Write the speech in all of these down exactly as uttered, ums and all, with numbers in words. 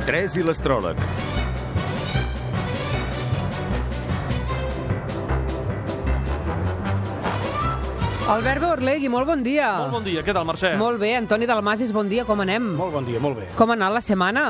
tres i l'astròleg. Albert Beorlegui, molt bon dia. Molt bon dia, què tal, Mercè? Molt bé, Antoni Dalmasis, bon dia, com anem? Molt bon dia, molt bé. Com ha anat la setmana?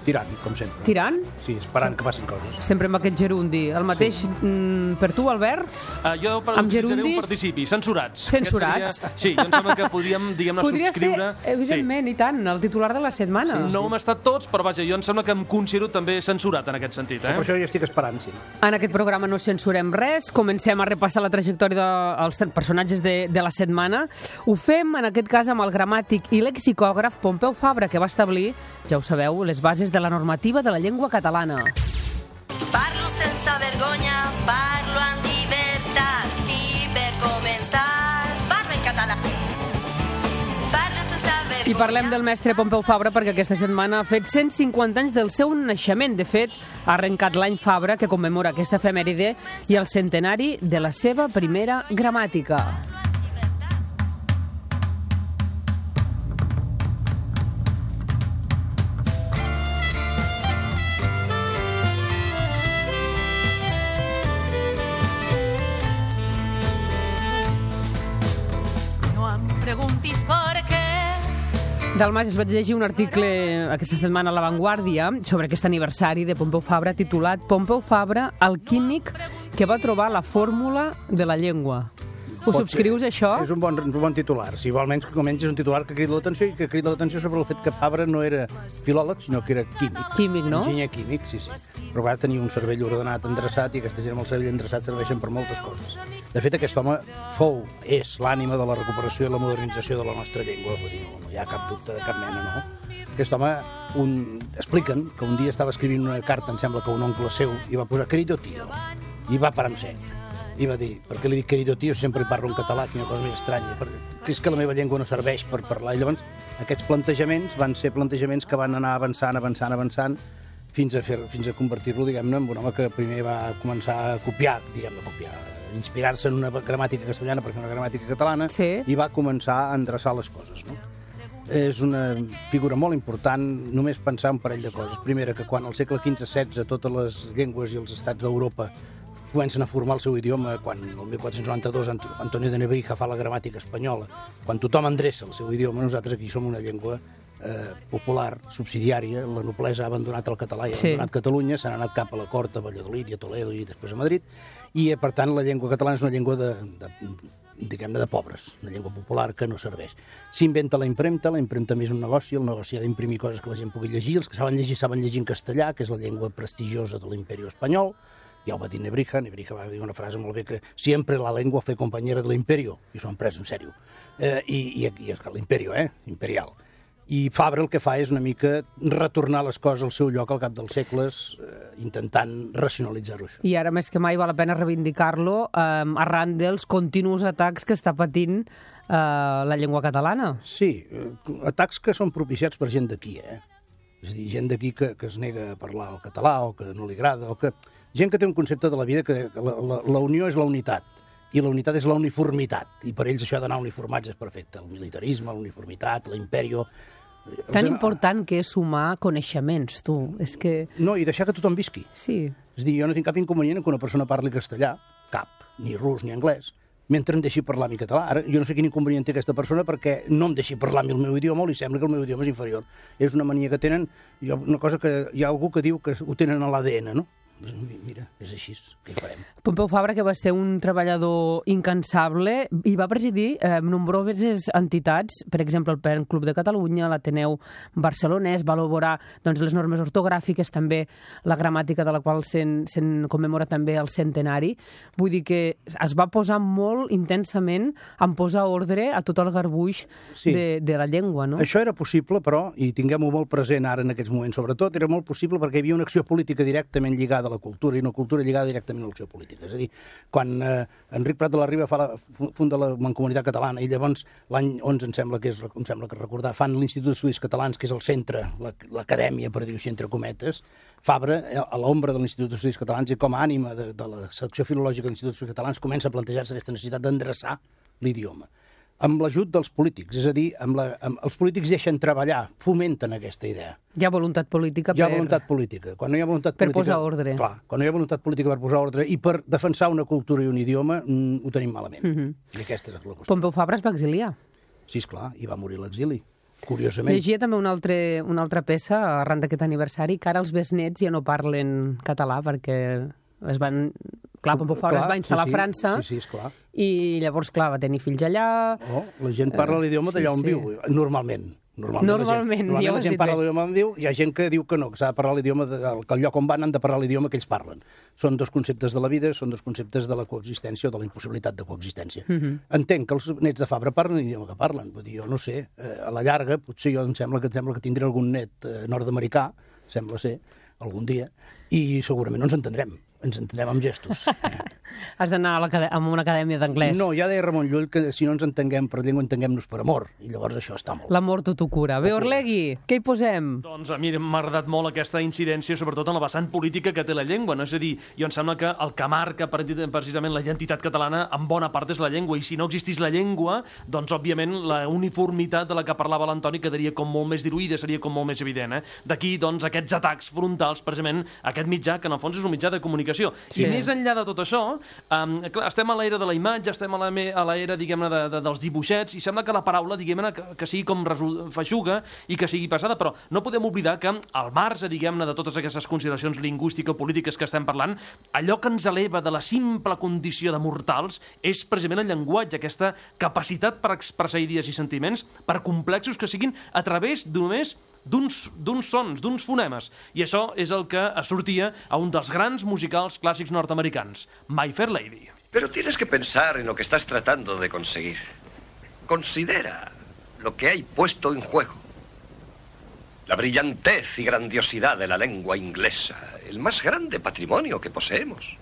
Tirant, com sempre. Tirant? Sí, esperant que passin coses. Sempre amb aquest gerundi. El mateix sí. mm, per tu, Albert? Uh, jo per, amb utilitzaré gerundis? un participi, censurats. Censurats? Seria... Sí, jo em sembla que podríem, diguem-ne, Podria subscriure... ser, evidentment, sí. I tant, el titular de la setmana. Sí, no hem estat tots, però vaja, jo em sembla que em considero també censurat en aquest sentit. Eh? Per això jo estic esperant, sí. En aquest programa no censurem res, comencem a repassar la trajectòria dels de, personatges de, de la setmana. Ho fem, en aquest cas, amb el gramàtic i lexicògraf Pompeu Fabra, que va establir, ja ho sabeu, les bases de la normativa de la llengua catalana. Parlo sense vergonya, parlo amb llibertat i per començar parlo en català. Parlo sense vergonya. I parlem del mestre Pompeu Fabra perquè aquesta setmana ha fet cent cinquanta anys del seu naixement. De fet, ha arrencat l'any Fabra, que commemora aquesta efemèride, i el centenari de la seva primera gramàtica. Preguntis per què. Dalmasis, vaig llegir un article aquesta setmana a La Vanguardia sobre aquest aniversari de Pompeu Fabra titulat Pompeu Fabra, el químic que va trobar la fórmula de la llengua. Ho Pot subscrius, ser. això? És un bon, un bon titular. Si igualment com menys és un titular que crida l'atenció i que crida l'atenció sobre el fet que Fabra no era filòleg, sinó que era químic. Químic, no? Enginyer químic, sí, sí. Però va tenir un cervell ordenat, endreçat, i aquesta gent amb el cervell endreçat serveixen per moltes coses. De fet, aquest home fou, és l'ànima de la recuperació i la modernització de la nostra llengua. Vull dir, no, no hi ha cap dubte de cap mena, no? Aquest home, un... expliquen que un dia estava escrivint una carta, em sembla que un oncle seu, i va posar querido tío, i va parar en sec. I va dir, per què li dic querido tío, sempre hi parlo en català, quina cosa més estranya, perquè és que la meva llengua no serveix per parlar. I llavors, aquests plantejaments van ser plantejaments que van anar avançant, avançant, avançant, fins a, fer, fins a convertir-lo, diguem-ne, en un home que primer va començar a copiar, diguem-ne, copiar, inspirar-se en una gramàtica castellana per fer una gramàtica catalana, sí. I va començar a endreçar les coses, no? És una figura molt important només pensar un parell de coses. Primera, que quan al segle quinze setze totes les llengües i els estats d'Europa comencen a formar el seu idioma, quan el mil quatre-cents noranta-dos Antonio de Nebrija fa la gramàtica espanyola, quan tothom endreça el seu idioma, nosaltres aquí som una llengua eh, popular, subsidiària, la noblesa ha abandonat el català i ha abandonat sí. Catalunya, s'han anat cap a la cort, a Valladolid i a Toledo i després a Madrid, i per tant la llengua catalana és una llengua de, de, diguem-ne, de pobres, una llengua popular que no serveix. S'inventa la impremta, la impremta més un negoci, el negoci ha d'imprimir coses que la gent pugui llegir, els que saben llegir saben llegir en castellà, que és la llengua prestigiosa de l'imperi espanyol. Ja ho va dir Nebrija, Nebrija va dir una frase molt bé que sempre la llengua fue compañera de l'imperio, i s'ho han pres en sèrio. Eh, I i, i és que l'imperio, eh? Imperial. I Fabra el que fa és una mica retornar les coses al seu lloc al cap dels segles, eh, intentant racionalitzar-ho això. I ara més que mai val la pena reivindicar-lo eh, arran dels continus atacs que està patint eh, la llengua catalana. Sí, eh, atacs que són propiciats per gent d'aquí, eh? És a dir, gent d'aquí que, que es nega a parlar el català o que no li agrada, o que... Gent que té un concepte de la vida que la, la, la unió és la unitat, i la unitat és la uniformitat, i per ells això d'anar uniformats és perfecte. El militarisme, la uniformitat, l'imperio... Tan important que és sumar coneixements, tu. És que... No, i deixar que tothom visqui. Sí. És a dir, jo no tinc cap inconvenient que una persona parli castellà, cap, ni rus ni anglès, mentre em deixi parlar mi català. Ara, jo no sé quin inconvenient té aquesta persona perquè no em deixi parlar el meu idioma o li sembla que el meu idioma és inferior. És una mania que tenen, una cosa que hi ha algú que diu que ho tenen a l'A D N, no? Mira, és així, què hi farem? Pompeu Fabra, que va ser un treballador incansable i va presidir eh, nombroses entitats, per exemple el Pen Club de Catalunya, l'Ateneu Barcelonès, va elaborar doncs, les normes ortogràfiques, també la gramàtica de la qual se'n se commemora també el centenari. Vull dir que es va posar molt intensament en posar ordre a tot el garbuix sí. de, de la llengua, no? Això era possible, però, i tinguem-ho molt present ara en aquests moments, sobretot, era molt possible perquè hi havia una acció política directament lligada a la cultura i una cultura lligada directament a l'acció política. És a dir, quan eh, Enric Prat de la Riba fa la, funda la Mancomunitat Catalana i llavors l'any onze, em sembla que és, em sembla que recordar, fan l'Institut d'Estudis Catalans, que és el centre, l'acadèmia, per dir-ho així, entre cometes, Fabra, a l'ombra de l'Institut d'Estudis Catalans i com a ànima de, de la secció filològica de l'Institut d'Estudis Catalans, comença a plantejar-se aquesta necessitat d'endreçar l'idioma. amb l'ajut dels polítics, és a dir, amb la, amb, els polítics deixen treballar, fomenten aquesta idea. Hi ha voluntat política Hi ha per... voluntat política. Quan no hi ha voluntat per política, posar ordre. Clar, quan no hi ha voluntat política per posar ordre i per defensar una cultura i un idioma, mm, ho tenim malament. Mhm. I aquesta és la qüestió. Pompeu Fabra es va exiliar. Sí, esclar, i va morir a l'exili, curiosament. Llegia també una, altre, una altra peça arran d'aquest aniversari, que ara els besnets ja no parlen català perquè es van... Clar, Pompeu Fabra es va instal·lar sí, sí, a França sí, sí, esclar. i llavors, clar, va tenir fills allà... Oh, la gent parla l'idioma sí, d'allà on sí. viu, normalment. Normalment, Normalment, la gent, normalment ja ho la has gent dit parla bé. l'idioma on viu, hi ha gent que diu que no, que s'ha de parlar l'idioma, de, que al lloc on van han de parlar l'idioma que ells parlen. Són dos conceptes de la vida, són dos conceptes de la coexistència o de la impossibilitat de coexistència. Mm -hmm. Entenc que els nets de Fabra parlen l'idioma que parlen, vull dir, jo no sé, eh, a la llarga, potser jo em sembla que, em sembla que tindré algun net eh, nord-americà, sembla ser, algun dia, i segurament no ens entendrem. Ens entendem amb gestos. Has d'anar a, a una acadèmia d'anglès. No, ja deia Ramon Llull que si no ens entenguem per llengua, entenguem-nos per amor. I llavors això està molt. L'amor tot ho cura. Bé, Orlegui, què hi posem? Doncs a mi m'ha agradat molt aquesta incidència, sobretot en la vessant política que té la llengua, no? És a dir, jo em sembla que el que marca precisament la identitat catalana en bona part és la llengua, i si no existís la llengua, doncs òbviament la uniformitat de la que parlava l'Antoni quedaria com molt més diluïda, seria com molt més evident. Eh? D'aquí, doncs, aquests atacs frontals, precisament, aquest mitjà, que en el fons és un mitjà de comunicació. Sí. I més enllà de tot això, um, clar, estem a l'era de la imatge, estem a l'era, diguem-ne, de, de, dels dibuixets, i sembla que la paraula, diguem-ne, que, que sigui com feixuga i que sigui passada, però no podem oblidar que al marge, diguem-ne, de totes aquestes consideracions lingüístico-polítiques que estem parlant, allò que ens eleva de la simple condició de mortals és precisament el llenguatge, aquesta capacitat per expressar idees i sentiments, per complexos que siguin, a través només d'uns sons, d'uns fonemes. I això és el que sortia a un dels grans musicals clàssics nord-americans, My Fair Lady. Pero tienes que pensar en lo que estás tratando de conseguir. Considera lo que hay puesto en juego. La brillantez y grandiosidad de la lengua inglesa, el más grande patrimonio que poseemos.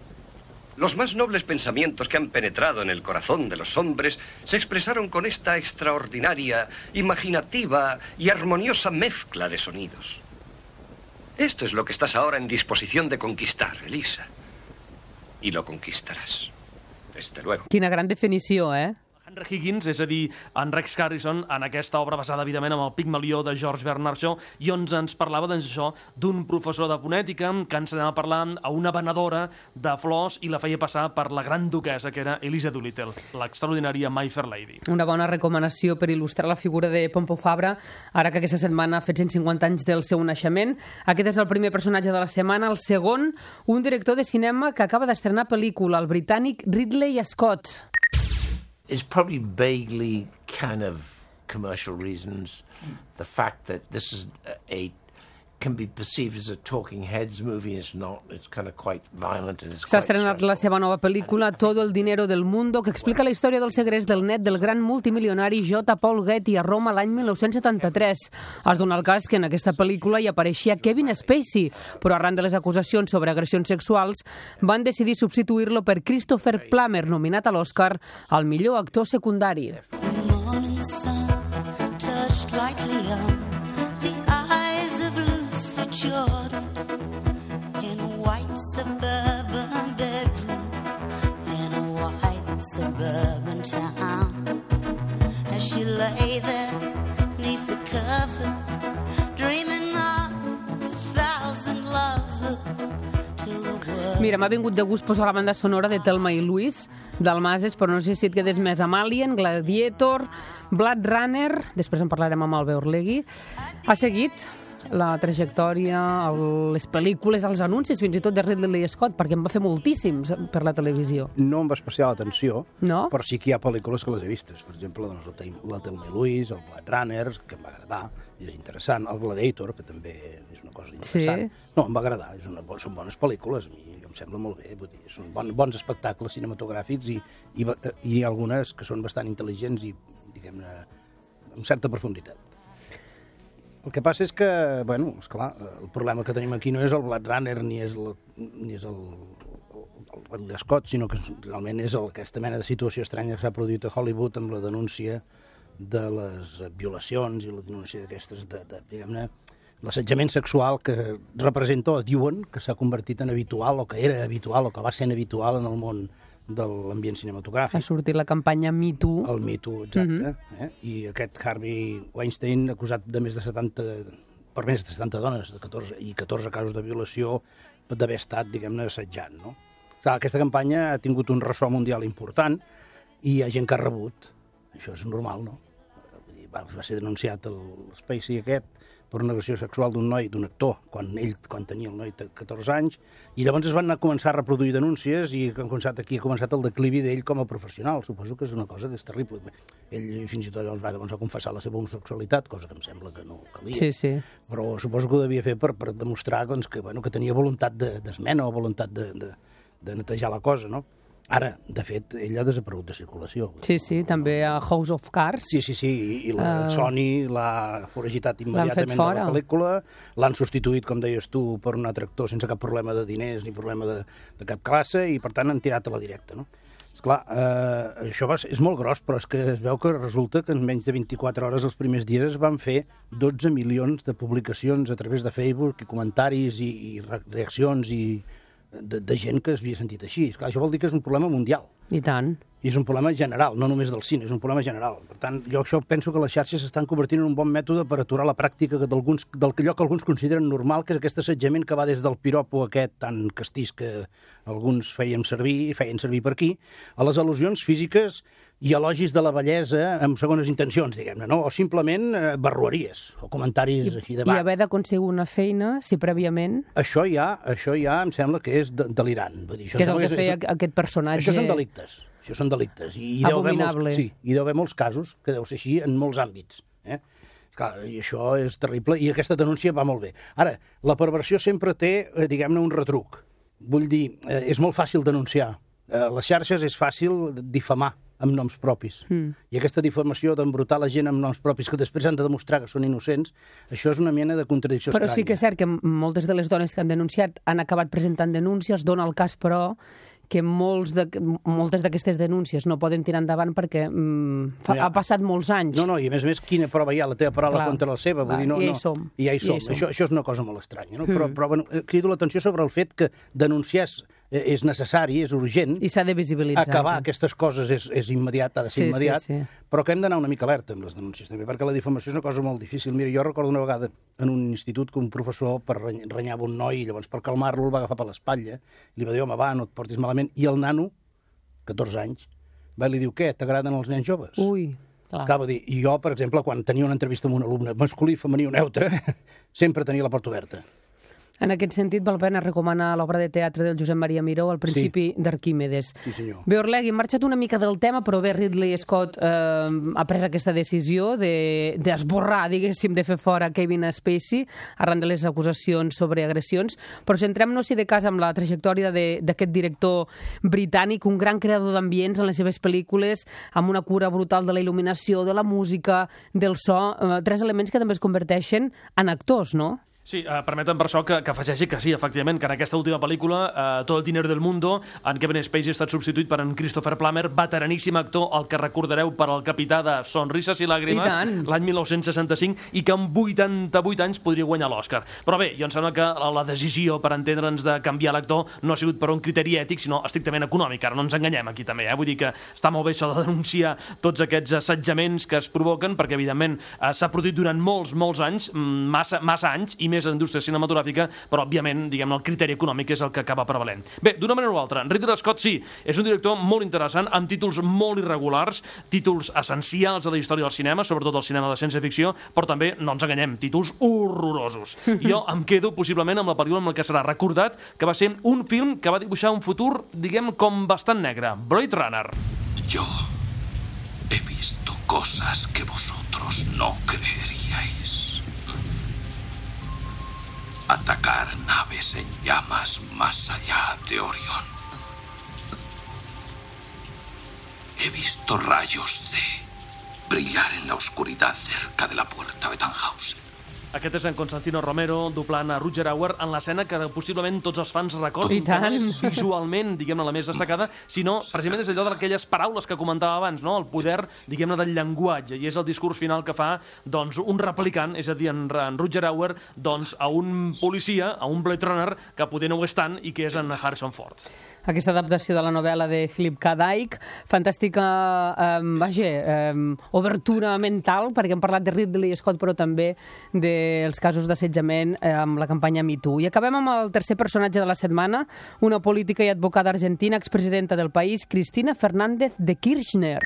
Los más nobles pensamientos que han penetrado en el corazón de los hombres se expresaron con esta extraordinaria, imaginativa y armoniosa mezcla de sonidos. Esto es lo que estás ahora en disposición de conquistar, Elisa. Y lo conquistarás, desde luego. Quina gran definició, eh? Henry Higgins, és a dir, en Rex Harrison, en aquesta obra basada, evidentment, amb el Pigmalió de George Bernard Shaw, i on ens parlava, doncs, això, d'un professor de fonètica que ensenyava a parlar a una venedora de flors i la feia passar per la gran duquesa, que era Elisa Doolittle, l'extraordinària My Fair Lady. Una bona recomanació per il·lustrar la figura de Pompeu Fabra, ara que aquesta setmana ha fet cent cinquanta anys del seu naixement. Aquest és el primer personatge de la setmana. El segon, un director de cinema que acaba d'estrenar pel·lícula, el britànic Ridley Scott. It's probably vaguely kind of commercial reasons. The fact that this is a can be perceived as a talking heads movie is not. It's kind of quite violent and it's S'ha quite estrenat la seva nova pel·lícula Todo el dinero del mundo, que explica la història del segrest del net del gran multimilionari J. Paul Getty a Roma l'any mil nou-cents setanta-tres. Es dona el cas que en aquesta pel·lícula hi apareixia Kevin Spacey, però arran de les acusacions sobre agressions sexuals van decidir substituir-lo per Christopher Plummer, nominat a l'Oscar al millor actor secundari. Jordan in a white suburban bedroom in a white suburban town as she lay there neath the covers dreaming of a thousand lovers till the world. Mira, m'ha vingut de gust posar la banda sonora de Thelma i Louise d'Almases, però no sé si et quedes més amb Alien, Gladiator, Blade Runner, després en parlarem amb Albert Orlegui. Ha seguit la trajectòria, el, les pel·lícules, els anuncis, fins i tot de Ridley Scott, perquè en va fer moltíssims per la televisió. No amb especial atenció, no? Però sí que hi ha pel·lícules que les he vistes. Per exemple, doncs, la Thelma i Louise, el Blade Runner, que em va agradar, i és interessant. El Gladiator, que també és una cosa interessant. Sí. No, em va agradar, és una, són bones pel·lícules, a mi em sembla molt bé, vull dir, són bon, bons espectacles cinematogràfics i, i, i algunes que són bastant intel·ligents i, diguem-ne, amb certa profunditat. El que passa és que, bueno, esclar, el problema que tenim aquí no és el Blade Runner ni és el, ni és el, el Ridley Scott, sinó que realment és el, aquesta mena de situació estranya que s'ha produït a Hollywood amb la denúncia de les violacions i la denúncia d'aquestes, de, de, diguem-ne, l'assetjament sexual que representa o diuen que s'ha convertit en habitual o que era habitual o que va ser habitual en el món de l'ambient cinematogràfic. Ha sortit la campanya Me Too. El Me Too, exacte. Mm-hmm. eh? I aquest Harvey Weinstein, acusat de més de setanta, per més de setanta dones de catorze, i catorze casos de violació, d'haver estat, diguem-ne, assetjant. No? Clar, aquesta campanya ha tingut un ressò mundial important i hi ha gent que ha rebut. Això és normal, no? Va, va ser denunciat el Spacey aquest per una agressió sexual d'un noi, d'un actor, quan ell quan tenia el noi catorze anys, i llavors es van anar a començar a reproduir denúncies i han començat, aquí ha començat el declivi d'ell com a professional. Suposo que és una cosa que és terrible. Ell fins i tot llavors va, va confessar la seva homosexualitat, cosa que em sembla que no calia. Sí, sí. Però suposo que ho devia fer per, per demostrar doncs, que, bueno, que tenia voluntat d'esmena o voluntat de, de, de netejar la cosa, no? Ara, de fet, ell ha desaparegut de circulació. Sí, sí, també a House of Cards. Sí, sí, sí, i, i la uh, Sony l'ha foragitat immediatament de la pel·lícula, l'han substituït, com deies tu, per un altre actor sense cap problema de diners ni problema de, de cap classe, i per tant han tirat a la directa, no? Esclar, eh, això va ser, és molt gros, però és que es veu que resulta que en menys de vint-i-quatre hores els primers dies es van fer dotze milions de publicacions a través de Facebook i comentaris i, i reaccions i De, de gent que es havia sentit així. Esclar, això vol dir que és un problema mundial. I tant. I és un problema general, no només del cine, és un problema general. Per tant, jo això penso que les xarxes s'estan convertint en un bon mètode per aturar la pràctica del que allò que alguns consideren normal, que és aquest assetjament que va des del piropo aquest tan castís que alguns feien servir, feien servir per aquí, a les al·lusions físiques i elogis de la bellesa amb segones intencions, diguem-ne, no? O simplement eh, barrueries o comentaris I, així de va. I haver d'aconseguir una feina, si prèviament... Això ja, això ja em sembla que és de, delirant. Vull dir, això que és el que és, feia és, aquest personatge... Això són delictes. Això són delictes. I, i abominable. Molts, sí, i deu haver molts casos que deu ser així en molts àmbits. Eh? Clar, i això és terrible, i aquesta denúncia va molt bé. Ara, la perversió sempre té, eh, diguem-ne, un retruc. Vull dir, eh, és molt fàcil denunciar. Eh, les xarxes és fàcil difamar amb noms propis. Mm. I aquesta difamació d'embrutar la gent amb noms propis que després han de demostrar que són innocents, això és una mena de contradicció Però estranya. sí que és cert que moltes de les dones que han denunciat han acabat presentant denúncies. Dona el cas, però, que molts de, moltes d'aquestes denúncies no poden tirar endavant perquè mm, fa, no, ja. ha passat molts anys. No, no, i a més a més, quina prova hi ha? La teva paraula Clar. Contra la seva. Vull Clar, dir, no, I ja hi no, som. I ja hi som. Ja hi som. Això, això és una cosa molt estranya. No? Mm. Però, però bueno, crido l'atenció sobre el fet que denunciar és necessari, és urgent. I s'ha de visibilitzar. Acabar aquestes coses és, és immediat, ha de ser sí, immediat, sí, sí. però que hem d'anar una mica alerta amb les denúncies també, perquè la difamació és una cosa molt difícil. Mira, jo recordo una vegada en un institut que un professor per renyava un noi i llavors per calmar-lo el va agafar per l'espatlla, li va dir, home, va, no et portis malament, i el nano, catorze anys, va i li diu, què, t'agraden els nens joves? Ui, clar. Clar, dir, i jo, per exemple, quan tenia una entrevista amb un alumne masculí, femení o neutre, sempre tenia la porta oberta. En aquest sentit, val pena recomanar l'obra de teatre del Josep Maria Miró, El principi sí. d'Arquímedes. Sí, senyor. Bé, Orlegui, hem marxat una mica del tema, però bé, Ridley Scott eh, ha pres aquesta decisió d'esborrar, de, diguéssim, de fer fora Kevin Spacey arran de les acusacions sobre agressions. Però centrem-nos, si de cas, amb la trajectòria d'aquest director britànic, un gran creador d'ambients en les seves pel·lícules, amb una cura brutal de la il·luminació, de la música, del so, eh, tres elements que també es converteixen en actors, no? Sí, eh, permeten per això que, que afegeixi que sí, efectivament, que en aquesta última pel·lícula, eh, Tot el dinero del mundo, en Kevin Spacey ha estat substituït per en Christopher Plummer, veteraníssim actor, el que recordareu per al capità de Sonrises i Làgrimes, l'any mil nou-cents seixanta-cinc, i que amb vuitanta-vuit anys podria guanyar l'Oscar. Però bé, jo em sembla que la decisió, per entendre'ns, de canviar l'actor no ha sigut per un criteri ètic, sinó estrictament econòmic. Ara no ens enganyem aquí també, eh? Vull dir que està molt bé això de denunciar tots aquests assetjaments que es provoquen, perquè evidentment eh, s'ha produït durant molts, molts anys, massa, massa anys, i més en indústria cinematogràfica, però òbviament, diguem-ne, el criteri econòmic és el que acaba prevalent. Bé, d'una manera o altra, Ridley Scott sí, és un director molt interessant, amb títols molt irregulars, títols essencials de la història del cinema, sobretot del cinema de ciència-ficció, però també, no ens enganyem, títols horrorosos. Jo em quedo possiblement amb la pel·lícula amb la que serà recordat, que va ser un film que va dibuixar un futur, diguem, com bastant negre, Blade Runner. Yo he visto cosas que vosotros no creeríais. Atacar naves en llamas más allá de Orión. He visto rayos de brillar en la oscuridad cerca de la puerta de Tannhausen. Aquest és en Constantino Romero doblant a Rutger Hauer en l'escena que possiblement tots els fans recordin, que no és visualment, diguem-ne, la més destacada, sinó precisament és allò d'aquelles paraules que comentava abans, no? El poder, diguem-ne, del llenguatge, i és el discurs final que fa doncs, un replicant, és a dir, en, en Rutger Hauer, doncs, a un policia, a un Blade Runner, que poder no ho és tant i que és en Harrison Ford. aquesta adaptació de la novel·la de Philip K. Dick. Fantàstica, eh, vaja, eh, obertura mental, perquè hem parlat de Ridley Scott, però també dels casos d'assetjament eh, amb la campanya Me Too. I acabem amb el tercer personatge de la setmana, una política i advocada argentina, expresidenta del país, Cristina Fernández de Kirchner.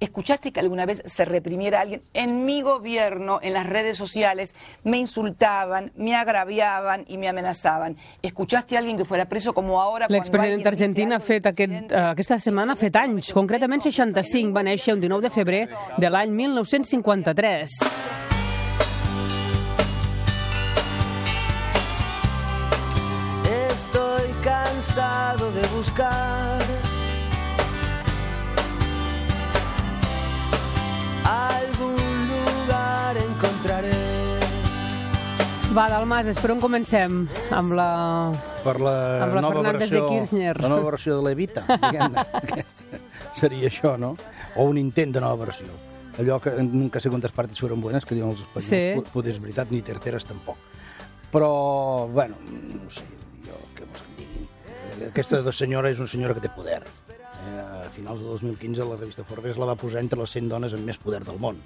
¿Escuchaste que alguna vez se reprimiera a alguien? En mi gobierno, en las redes sociales, me insultaban, me agraviaban y me amenazaban. ¿Escuchaste a alguien que fuera preso como ahora? L'expresidenta argentina ha fet aquest, uh, aquesta setmana ha fet anys, concretament seixanta-cinc, va néixer un dinou de febrer de l'any mil nou-cents cinquanta-tres. Estoy cansado de buscar algún lugar encontraré. Va, Dalmases, per on comencem? Amb la... Per la, amb la nova Fernández versió, de Kirchner. la nova versió de l'Evita, diguem-ne. Seria això, no? O un intent de nova versió. Allò que nunca sé quantes partes fueron buenas, que diuen els espanyols. Sí. Poder és veritat, ni terceres tampoc. Però, bueno, no sé, jo què vols que em digui. Aquesta senyora és una senyora que té poder. Eh, a finals de dos mil quinze la revista Forbes la va posar entre les cent dones amb més poder del món.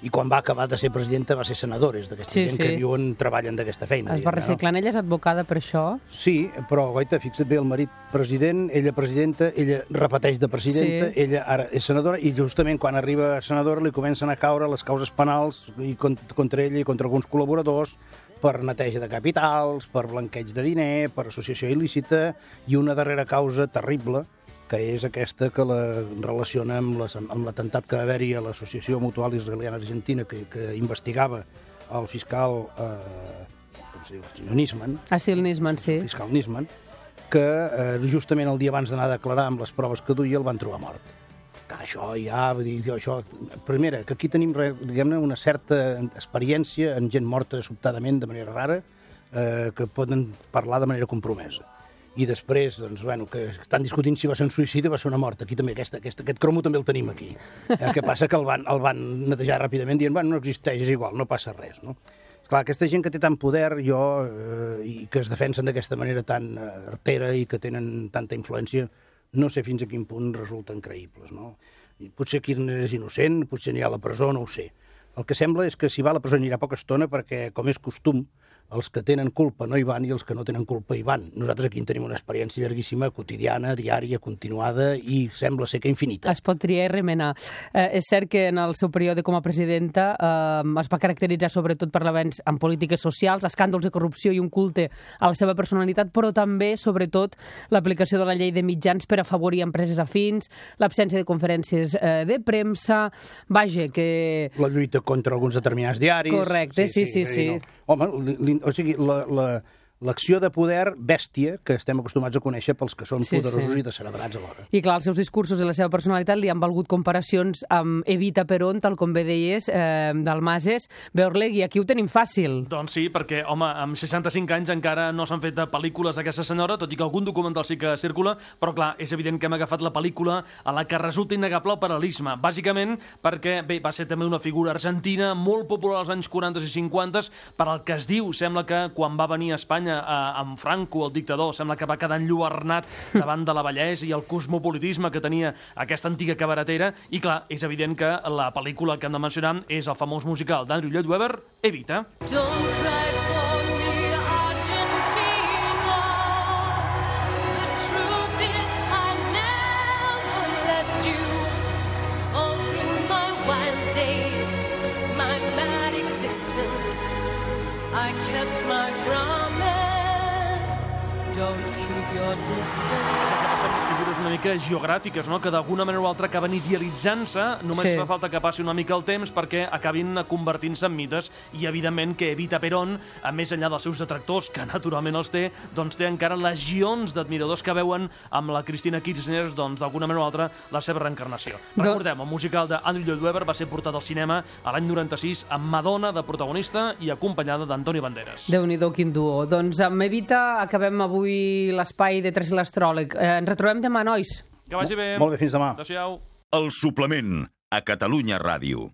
I quan va acabar de ser presidenta va ser senadora, és d'aquesta Sí, gent sí. que viuen, treballen d'aquesta feina. Es va reciclant. Ella és advocada per això. Sí, però, goita, fixa't bé, el marit president, ella presidenta, ella repeteix de presidenta, Sí. ella ara és senadora, i justament quan arriba a senadora li comencen a caure les causes penals i cont- contra ella i contra alguns col·laboradors per neteja de capitals, per blanqueig de diner, per associació il·lícita, i una darrera causa terrible, que és aquesta que la relaciona amb, les, amb l'atemptat que va haver-hi a l'Associació Mutual Israeliana Argentina, que, que investigava el fiscal, eh, com es diu, el senyor Nisman, Asil Nisman, sí. el fiscal Nisman, que eh, justament el dia abans d'anar a declarar amb les proves que duia el van trobar mort. Que això ja, vull dir, això... Primera, que aquí tenim, diguem-ne, una certa experiència en gent morta sobtadament, de manera rara, eh, que poden parlar de manera compromesa. I després, doncs, bueno, que estan discutint si va ser un suïcidi o va ser una mort. Aquí també, aquesta, aquesta, aquest cromo també el tenim aquí. El que passa que el van, el van netejar ràpidament dient, bueno, no existeix, és igual, no passa res, no? Esclar, aquesta gent que té tant poder, jo, eh, i que es defensen d'aquesta manera tan eh, artera i que tenen tanta influència, no sé fins a quin punt resulten creïbles, no? I potser Kirchner és innocent, potser anirà a la presó, no ho sé. El que sembla és que si va a la presó anirà poca estona perquè, com és costum, els que tenen culpa no hi van i els que no tenen culpa hi van. Nosaltres aquí en tenim una experiència llarguíssima, quotidiana, diària, continuada i sembla ser que infinita. Es pot triar i remenar. Eh, és cert que en el seu període com a presidenta eh, es va caracteritzar sobretot per l'avenç en polítiques socials, escàndols de corrupció i un culte a la seva personalitat, però també, sobretot, l'aplicació de la llei de mitjans per afavorir empreses afins, l'absència de conferències eh, de premsa, vaja, que... La lluita contra alguns determinats diaris... Correcte, sí, sí, sí. sí. No. Home, li, o sigui, la, la, l'acció de poder bèstia que estem acostumats a conèixer pels que són Sí, poderosos sí. i descerebrats alhora. I clar, els seus discursos i la seva personalitat li han valgut comparacions amb Evita Perón, tal com bé deies, eh, Dalmases. Beorlegui, aquí ho tenim fàcil. Doncs sí, perquè, home, amb seixanta-cinc anys encara no s'han fet pel·lícules d'aquesta senyora, tot i que algun documental sí que circula, però clar, és evident que hem agafat la pel·lícula a la que resulta innegable el paral·lelisme. Bàsicament perquè, bé, va ser també una figura argentina molt popular als anys quaranta i cinquanta, per al que es diu, sembla que quan va venir a Espanya eh, amb Franco, el dictador, sembla que va quedar enlluernat davant de la bellesa i el cosmopolitisme que tenia aquesta antiga cabaretera, i clar, és evident que la pel·lícula que hem de mencionar és el famós musical d'Andrew Lloyd Webber, Evita. Don't cry for me, Argentina. The truth is I never left you. All through my wild days, my mad existence, I kept my promise. Don't keep your distance. El que passa amb les figures una mica geogràfiques, no? Que d'alguna manera o altra acaben idealitzant-se, només Sí. fa falta que passi una mica el temps perquè acabin convertint-se en mites, i evidentment que Evita Perón, a més enllà dels seus detractors, que naturalment els té, doncs té encara legions d'admiradors que veuen amb la Cristina Kirchner, doncs d'alguna manera o altra, la seva reencarnació. Do- Recordem, el musical d'Andrew Lloyd Webber va ser portat al cinema a l'any noranta-sis amb Madonna de protagonista i acompanyada d'Antonio Banderas. Déu-n'hi-do, quin duo. Doncs amb Evita acabem avui l'espai de Tres l'Astròleg. Eh, ens retrobem demà, nois. Que vagi bé. Molt bé, fins demà. Adéu-siau. El suplement a Catalunya Ràdio.